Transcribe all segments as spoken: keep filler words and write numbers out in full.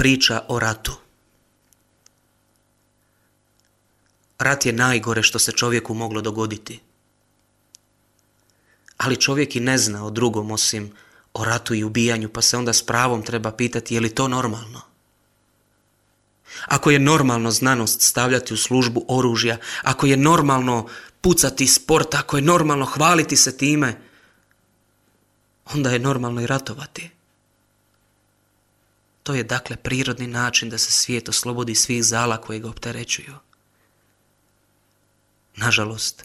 priča o ratu. Rat je najgore što se čovjeku moglo dogoditi. Ali čovjek i ne zna o drugom osim o ratu i ubijanju, pa se onda s pravom treba pitati je li to normalno. Ako je normalno znanost stavljati u službu oružja, ako je normalno pucati sport, ako je normalno hvaliti se time, onda je normalno i ratovati. To je dakle prirodni način da se svijet oslobodi svih zala koje ga opterećuju. Nažalost,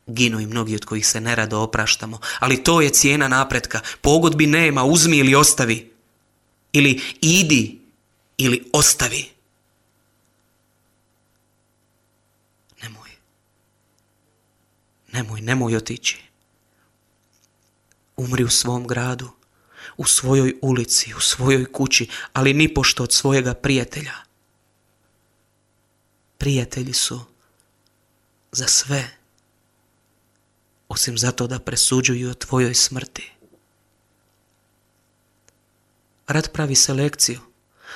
ginu i mnogi od kojih se nerado opraštamo, ali to je cijena napretka. Pogodbi nema, uzmi ili ostavi. Ili idi ili ostavi. Nemoj. Nemoj, nemoj otići. Umri u svom gradu, u svojoj ulici, u svojoj kući, ali nipošto od svojega prijatelja. Prijatelji su za sve, osim zato da presuđuju o tvojoj smrti. Rat pravi selekciju.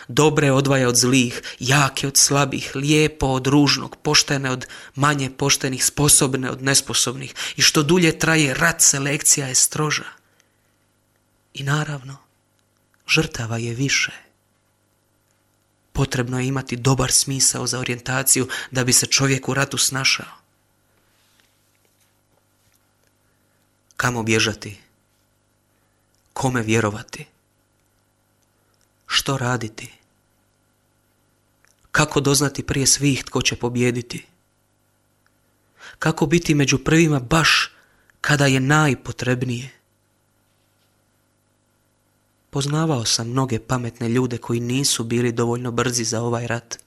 Dobre odvaja od zlih, jake od slabih, lijepo od ružnog, poštene od manje poštenih, sposobne od nesposobnih. I što dulje traje rat, selekcija je stroža. I naravno, žrtava je više. Potrebno je imati dobar smisao za orijentaciju da bi se čovjek u ratu snašao. Kamo bježati? Kome vjerovati? Što raditi? Kako doznati prije svih tko će pobijediti? Kako biti među prvima baš kada je najpotrebnije? Poznavao sam mnoge pametne ljude koji nisu bili dovoljno brzi za ovaj rat.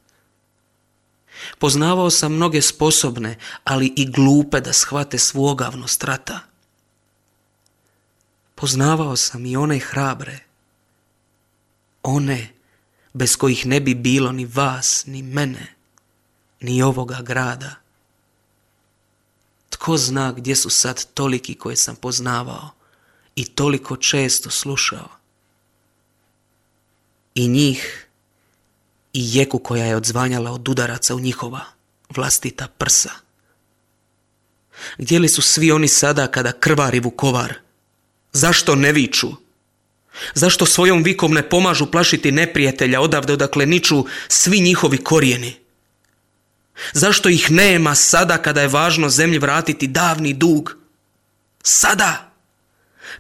Poznavao sam mnoge sposobne, ali i glupe da shvate svu ogavnost rata. Poznavao sam i one hrabre, one bez kojih ne bi bilo ni vas, ni mene, ni ovoga grada. Tko zna gdje su sad toliki koje sam poznavao i toliko često slušao. I njih, i jeku koja je odzvanjala od udaraca u njihova vlastita prsa. Gdje li su svi oni sada kada krvari Vukovar? Zašto ne viču? Zašto svojom vikom ne pomažu plašiti neprijatelja odavde odakle niču svi njihovi korijeni? Zašto ih nema sada kada je važno zemlji vratiti davni dug? Sada,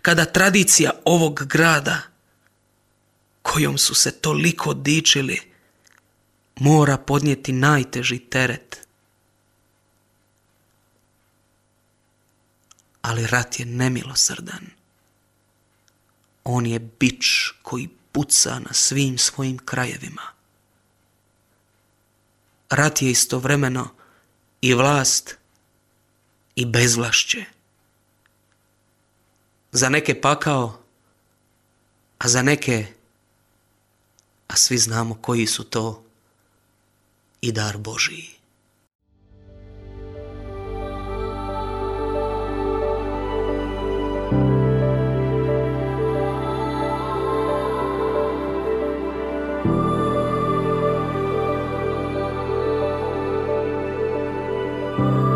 kada tradicija ovog grada, kojom su se toliko dičili, mora podnijeti najteži teret. Ali rat je nemilosrdan. On je bič koji puca na svim svojim krajevima. Rat je istovremeno i vlast i bezvlašće. Za neke pakao, a za neke, a svi znamo koji su to, i dar Božiji. Thank you.